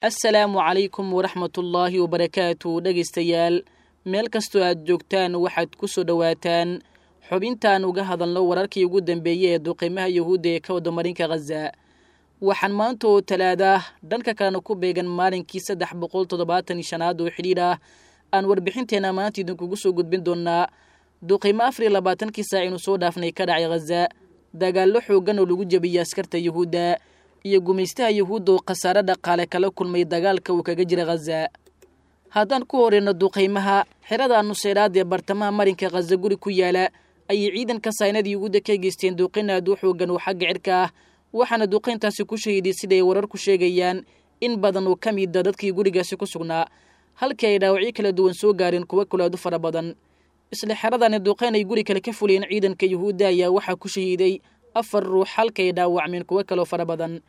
Assalaamu calaykum waraxmatullaahi wabarakaatu. Dhegaystayaal, meel kastoo aad joogtaan, waxaad ku soo dhowaataan xubintaan uga hadalno wararkii ugu dambeeyey ee duqiimaha Yuhuudda ee ka wada marinka Khaza. Waxaan maanta oo Talaada, dhanka kalena ku beegan maalinkii 375aad oo xidhiidh ah, aan warbixinteenna maanta idinkugu soo gudbin doonaa duqiimo 24kii saac inu soo dhaafnay ka dhacay Khaza, dagaallo xooggan oo lagu jebiyey askarta Yuhuudda iyo gumaystaha Yuhuudda oo khasaare dhaqaale kala kulmay dagaalka uu kaga jira Khaza. Haddaan ku horeyno duqiimaha, xerada Nuseyraad ee bartamaha marinka Khaza guri ku yaala ayay ciidanka saynada Yuhuudda ka geysteen duqin aad u xoogan oo xagga cirka ah, waxaana duqayntaasi ku shahiiday, siday wararku sheegayaan, in badan oo ka mida dadkii gurigaasi ku sugnaa, halkii ay dhaawacyo kala duwan soo gaareen kuwo kale aad u fara badan. Isla xeradani duqayn ay guri kale ka fuliyeen ciidanka Yuhuudda ayaa waxaa ku shahiiday afar ruux, halka ay dhaawacmeen kuwo kaloo fara badan.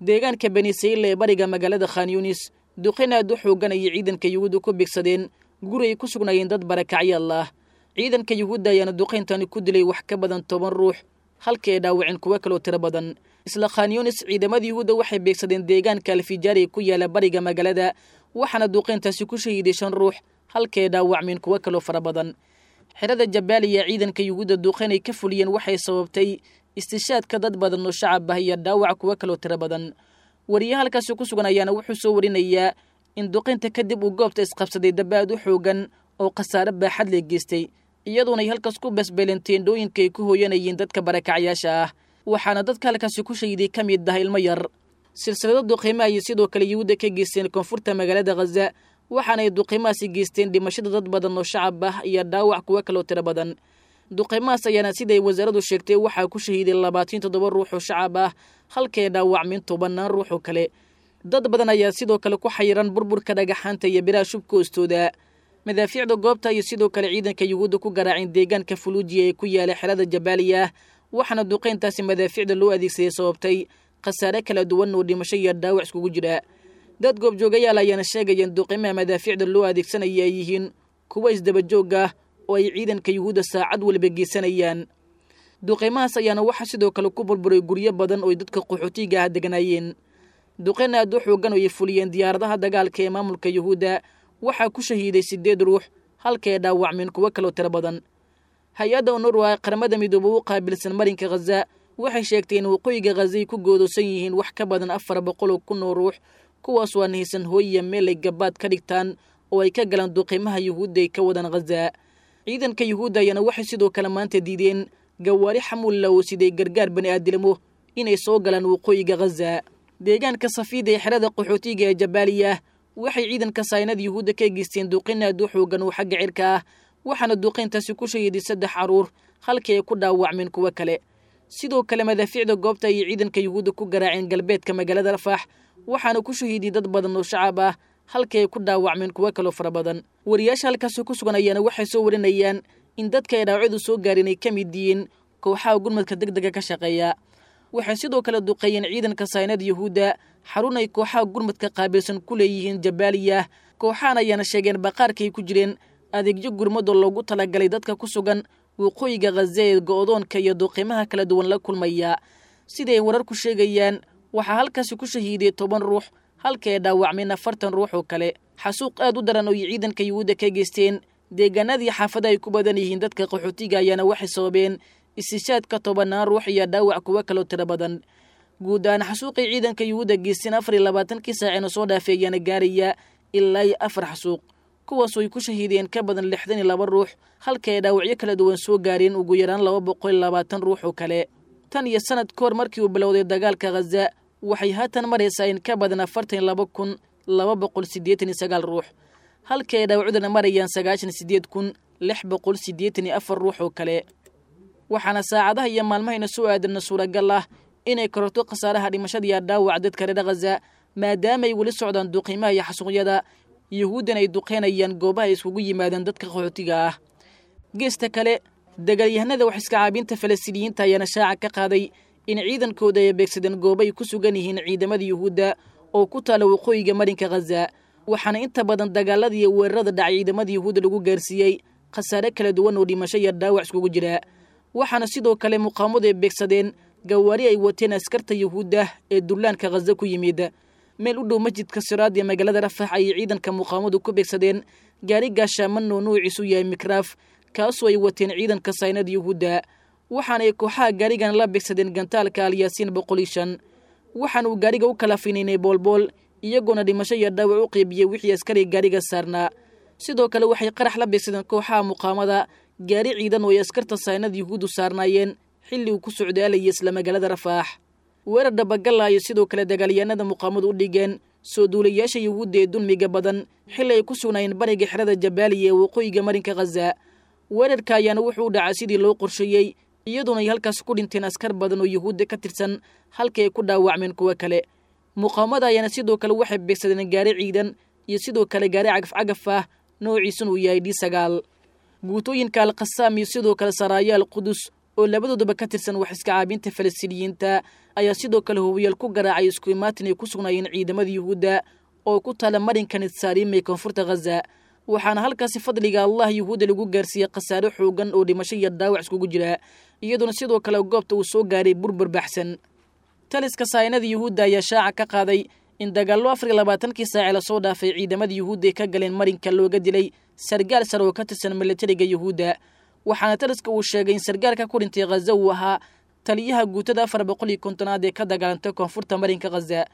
Deegaanka Bani Sayla ee bariga magaalada Khan Yunis, duqayn aad u xoogan ayay ciidanka Yuhuudda ku bigsadeen guri ay ku sugnaayeen dad barakacyaal ah. Ciidanka Yuhuudda ayaana duqayntani ku dilay wax ka badan 10 ruux, halka ay dhaawaceen kuwo kaloo tiro badan. Isla Khan Yunis, ciidamada Yuhuudda waxay beegsadeen deegaanka Alfijaari ku yaala bariga magaalada, waxaana duqayntaasi ku shahiiday shan ruux, halka ay dhaawacmeen kuwo kaloo fara badan. Xerada Jabaaliya ciidanka Yuhuudda duqayn ay ka fuliyeen waxay sababtay istishaadka dad badan oo shacab ah iyo dhaawac kuwo kaloo tiro badan. Wariye halkaasi ku sugan ayaana wuxuu soo warinayaa in duqaynta kadib uu goobta isqabsaday daba aad u xoogan oo khasaare baaxad le geystay, iyadoona ay halkaas ku basbeeleen teendhooyinka ay ku hooyanayeen dadka barakacyaasha ah, waxaana dadka halkaasi ku shahiiday ka mid ah ilmo yar. Silsilado duqiimo ayay sidoo kale Yuhuudda ka geysteen koonfurta magaalada Khaza, waxaana ay duqiimahaasi geysteen dhimashada dad badan oo shacab ah iyo dhaawac kuwo kaloo tiro badan. Duqiimahaas ayaana, siday wasaaraddu sheegtay, waxaa ku shahiiday 27 ruux oo shacab ah, halkay dhaawacmeen tobannaan ruux oo kale. Dad badan ayaa sidoo kale ku xayiran burburka dhagaxaanta iyo biraha shubka hoostooda. Madaafiicda goobta ayay sidoo kale ciidanka Yuhuudda ku garaaceen deegaanka Fuluujiya ee ku yaala xerada Jabaaliya, waxaana duqayntaasi madaafiicda loo adeegsaday sababtay khasaare kala duwan oo dhimasho iyo dhaawac iskugu jira. Dad goobjoogayaal ayaana sheegayeen duqiimaha madaafiicda loo adeegsanaya ay yihiin kuwa isdabajoog ah oo ay ciidanka Yuhuudda saacad waliba geysanayaan. Duqiimahaas ayaana waxaa sidoo kale ku burburay guryo badan oo dadka qaxootiga ah deganaayeen. Duqayn aad u xoogan oo ay fuliyeen diyaaradaha dagaalka ee maamulka Yuhuudda waxaa ku shahiiday siddeed ruux, halka ay dhaawacmeen kuwo kaloo tiro badan. Hay-adda UNRWA ee Qaramada Midoobe u qaabilsan marinka Khaza waxay sheegtay in waqooyiga Khaza ay ku goodoosan yihiin wax ka badan 400,000 oo ruux, kuwaas oo aan haysan hooyiya meel ay gabaad ka dhigtaan oo ay ka galaan duqiimaha Yuhuudda ay ka wadaan Khaza. Ciidanka Yuhuudda ayaana waxay sidoo kale maanta diideen gawaari xamuulla oo siday gargaar bani aadilmo inay soo galaan waqooyiga Khaza. Deegaanka Safiida ee xerada qaxootiga ee Jabaaliya waxay ciidanka saynada Yuhuudda ka geysteen duqin aad u xoogan oo xagga cirka ah, waxaana duqayntaasi ku shahiiday saddex carruur, halkii ay ku dhaawacmeen kuwo kale. Sidoo kale madaafiicda goobta ayay ciidanka Yuhuudda ku garaaceen galbeedka magaalada Rafax, waxaana ku shahiiday dad badan oo shacab ah, halkii ay ku dhaawacmeen kuwo kaloo fara badan. Wariyaasha halkaasi ku sugan ayaana waxay soo warinayaan in dadka ay dhaawacyadu soo gaareen ay ka mid yihiin kooxaha gurmadka degdega ka shaqeeya. Waxay sidoo kale duqeeyeen ciidanka saynada Yuhuudda xarun ay kooxaha gurmadka qaabilsan ku leeyihiin Jabaaliya. Kooxahan ayaana sheegeen baqaarka ay ku jireen adeegyo gurmadoo loogu talagalay dadka ku sugan waqooyiga Khaza ee go'doonka iyo duqiimaha kala duwan la kulmaya. Siday ay wararku sheegayaan, waxaa halkaasi ku shahiiday 10 ruux, halka ay dhaawacmeen 40 ruux oo kale. Xasuuq aad u daran oo ay ciidanka Yuhuudda ka geysteen deegaanadii xaafada ay ku badan yihiin dadka qaxootiga ayaana waxay sababeen istishaadka tobannaan ruux iyo dhaawac kuwo kaloo tiro badan. Guud ahaan xasuuqay ciidanka Yuhuudda geysteen 24kii saacina soo dhaafay ayaana gaaraya ilaa iyo afar xasuuq, kuwaasoo ay ku shahiideen ka badan 62 ruux, halka ay dhaawacyo kala duwan soo gaareen ugu yaraan 220 ruux oo kale. Tan iyo sanad ka hor markii uu bilowday dagaalka Khaza, waxay haatan maraysaa in ka badan 42,289 ruux, halka ay dhaawacduna marayaan 98,684 ruux oo kale. Waxaana saacadaha iyo maalmahayna soo aadanna suuragal ah inay kororto khasaaraha dhimashada iyo dhaawac dadka reer Khaza, maadaama ay weli socdaan duqiimaha iyo xasuuqyada Yuhuuddan ay duqeynayaan goobaha ay iskugu yimaadeen dadka qaxootiga ah. Geesta kale, dagaalyahanada wax iska caabinta Falastiiniyiinta ayaana shaaca ka qaaday in ciidankooda ay beegsadeen goobo ay ku sugan yihiin ciidamada Yuhuudda oo ku taala waqooyiga marinka Khaza, waxaana inta badan dagaalada iyo weerarada dhacay ciidamada Yuhuudda lagu gaarsiiyey khasaare kala duwan oo dhimasho iyo dhaawac iskugu jira. Waxaana sidoo kale muqaamadu ay beegsadeen gawaari ay wateen askarta Yuhuudda ee dullaanka Khaza ku yimid. Meel u dhow masjidka Siraad ee magaalada Rafax ayay ciidanka muqaawamadu ku beegsadeen gaari gaashaaman oo nuuciisu yahay mikraaf, kaasoo ay wateen ciidanka saynada Yuhuudda, waxaana ay kooxaha gaarigan la beegsadeen gantaalka Alyaasiin 105. Waxaana uu gaariga u kala finaynay boolbool, iyagoona dhimasho iyo dhaawac u qeybiyey wixii askari gaariga saarnaa. Sidoo kale waxay qarax la beegsadeen kooxaha muqaawamada gaari ciidan oo ay askarta saynada Yuhuuddu saarnaayeen xilli uu ku socdaalayay isla magaalada Rafaax. Weerar dhabagalla ayay sidoo kale dagaalyahanada muqaawamadu u dhigeen soo duulayaasha Yuhuudda ee dulmiga badan xilli ay ku sugnaayeen bariga xerada Jabaaliya ee waqooyiga marinka Khaza. Weerarka ayaana wuxuu u dhacay sidii loo qorsheeyey, iyadoona ay halkaas ku dhinteen askar badan oo Yuhuudda ka tirsan, halkii ay ku dhaawacmeen kuwo kale. Muqaawamada ayaana sidoo kale waxay beegsadeen gaari ciidan iyo sidoo kale gaari cagaf-cagaf ah noociisuna uu yahay D9. Guutooyinka Alqasaam iyo sidoo kale Saraaya Al Qudus oo labadooduba ka tirsan wax iska caabinta Falastiiniyiinta ayaa sidoo kale hubiyaal ku garaacay isku imaatin ay ku sugnaayeen ciidamada Yuhuudda oo ku taala marinka Nitsaariim ee koonfurta Khaza, waxaana halkaasi fadliga Allah Yuhuudda lagu gaarsiiyey khasaare xoogan oo dhimasho iyo dhaawac iskugu jira, iyadoona sidoo kale goobta uu soo gaaray burbur baxsan. Taliska saynada Yuhuudda ayaa shaaca ka qaaday in dagaallo 24kii saace lasoo dhaafay ciidamada Yuhuudda ay ka galeen marinka looga dilay sargaal sare oo ka tirsan milatariga Yuhuudda, waxaana taliska uu sheegay in sargaalka ku dhintay Khaza uu ahaa taliyaha guutada 450aad ee ka dagaalantay koonfurta marinka Khaza.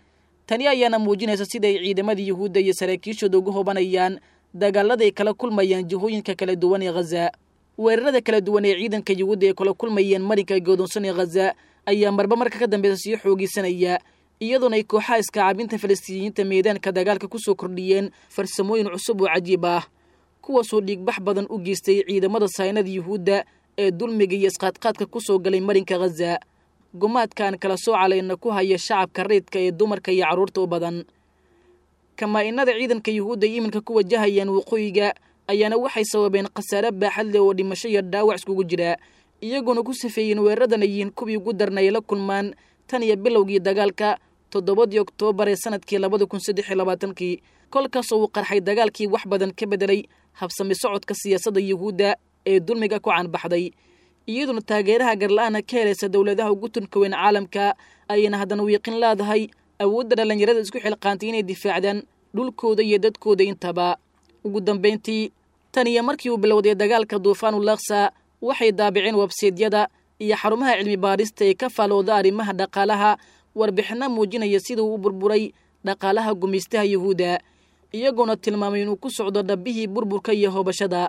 Tani ayaana muujinaysa sida ay ciidamada Yuhuudda iyo saraakiishooda uga hobanayaan dagaalada ay kala kulmayaan jihooyinka kala duwan ee Khaza. Weerarada kala duwan ee ciidanka Yuhuudda ay kala kulmayeen marinka godoonsan ee Khaza ayaa marba marka ka dambeysa sii xoogisanaya, iyadoona ay kooxaha iska caabinta Falastiiniyiinta meedaanka dagaalka ku soo kordhiyeen farsamooyin cusub oo cajiib ah, kuwaasoo dhiigbax badan u geystay ciidamada saynada Yuhuudda ee dulmiga iyo isqaadqaadka ku soo galay marinka Khaza, gumaadkaan kala soo calayna ku haya shacabka reedka ee dumarka iyo carruurta u badan. Kamaa-inada ciidanka Yuhuudda ay iminka ku wajahayaan waqooyiga ayaana waxay sababeen khasaare baaxad leh oo dhimasho iyo dhaawac iskugu jira, iyagoona ku safeeyeen weeraradan ay yihiin kuwii ugu darnay la kulmaan tan iyo bilowgii dagaalka 7dii Oktoobar ee sanadkii 2023kii, kolkaasoo uu qarxay dagaalkii wax badan ka bedelay habsami socodka siyaasadda Yuhuudda ee dulmiga ku caanbaxday, iyadoona taageeraha garla-aana ka helaysa dowladaha ugu tunka weyn caalamka ayayna haddana wiiqin leedahay awoodda dhallinyarada isku xilqaantay inay difaacdaan dhulkooda iyo dadkooda intaba. Ugu dambayntii, tan iyo markii uu bilowday dagaalka Duufaanul Laksa, waxay daabiceen websaydyada iyo xarumaha cilmi baarista ee ka faalooda arrimaha dhaqaalaha warbixinno muujinaya sida uu u burburay dhaqaalaha gumaystaha Yuhuudda, iyagoona tilmaamay inuu ku socdo dhabbihii burburka iyo hoobashada.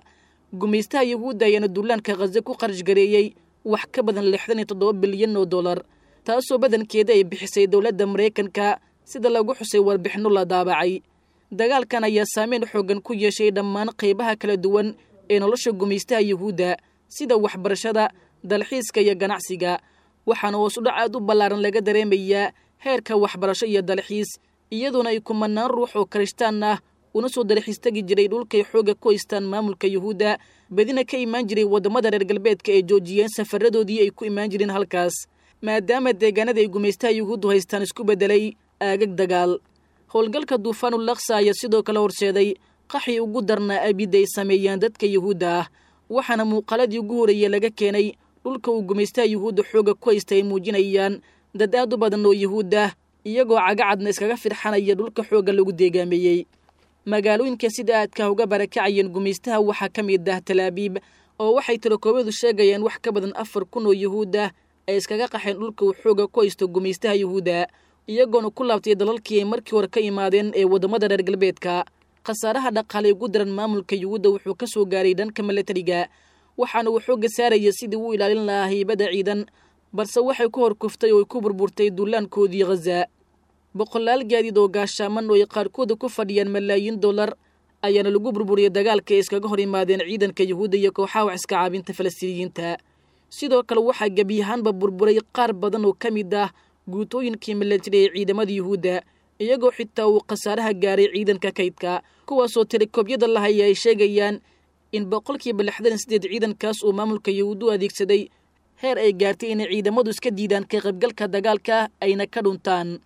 Gumaystaha Yuhuudda ayaana duulaanka Khaza ku qarash gareeyey wax ka badan 67 bilyan oo dollar, taasoo badankeeda ay bixisay dowladda Maraykanka, sida lagu xusay warbixinno la daabacay. Dagaalkan ayaa saameyn xooggan ku yeeshay dhammaan qaybaha kala duwan ee nolosha gumaystaha Yuhuudda, sida waxbarashada, dalxiiska iyo ganacsiga, waxaana hoos u dhac aad u ballaaran laga dareemayaa heerka waxbarasho iyo dalxiis, iyadoona ay kumanaan ruux oo karishtaan ah una soo dalxiis tegi jiray dhulkay xoogga ku haystaan maamulka Yuhuudda, badina ka imaan jiray waddamada reer galbeedka ee joojiyeen safaradoodii ay ku imaan jireen halkaas, maadaama deegaanada ay gumaystaha Yuhuuddu haystaan isku beddelay aagag dagaal. Howlgalka Duufaanul Laksa ayaa sidoo kale horseeday qaxii ugu darnaa abidda ay sameeyaan dadka Yuhuudda ah, waxaana muuqaaladii ugu horreeyey laga keenay dhulka uu gumaystaha Yuhuudda xoogga ku haysta ay muujinayaan dad aad u badan oo Yuhuud ah iyagoo cagacadna iskaga firxanaya dhulka xoogga lagu deegaameeyey. Magaalooyinka sida aadka uga barakacayeen gumaystaha waxaa ka mid ah Talaabiib, oo waxay tirakoobadu sheegayaan wax ka badan 4000 oo Yuhuud ah ay iskaga qaxeen dhulka uu xoogga ku haysto gumaystaha Yuhuudda, iyagoona ku laabtay dalalkii ay markii hore ka imaadeen ee waddamada reer galbeedka. Khasaaraha dhaqaale ugu daran maamulka Yuhuudda wuxuu ka soo gaaray dhanka milatariga, waxaana uu xoogga saaraya sidii uu ilaalin lahaa haybadda ciidan, balse waxay ku horkuftay oo ay ku burburtay duulaankoodii Khaza. Boqolaal gaadiid oo gaashaaman oo ay qaarkooda ku fadhiyaan malaayiin dollar ayaana lagu burburiyey dagaalka ay iskaga hor yimaadeen ciidanka Yuhuudda iyo kooxaha wax iska caabinta Falastiiniyiinta. Sidoo kale waxaa gebi ahaanba burburay qaar badan oo ka mid ah guutooyinkii milatari ee ciidamada Yuhuudda, iyagoo xitaa uu khasaaraha gaaray ciidanka kaydka, kuwaasoo telekoobyada lahaya ay sheegayaan in 68% ciidankaas uu maamulka Yuhuuddu adeegsaday, heer ay gaartay inay ciidamadu iska diidaan ka qaybgalka dagaalka ayna ka dhuntaan.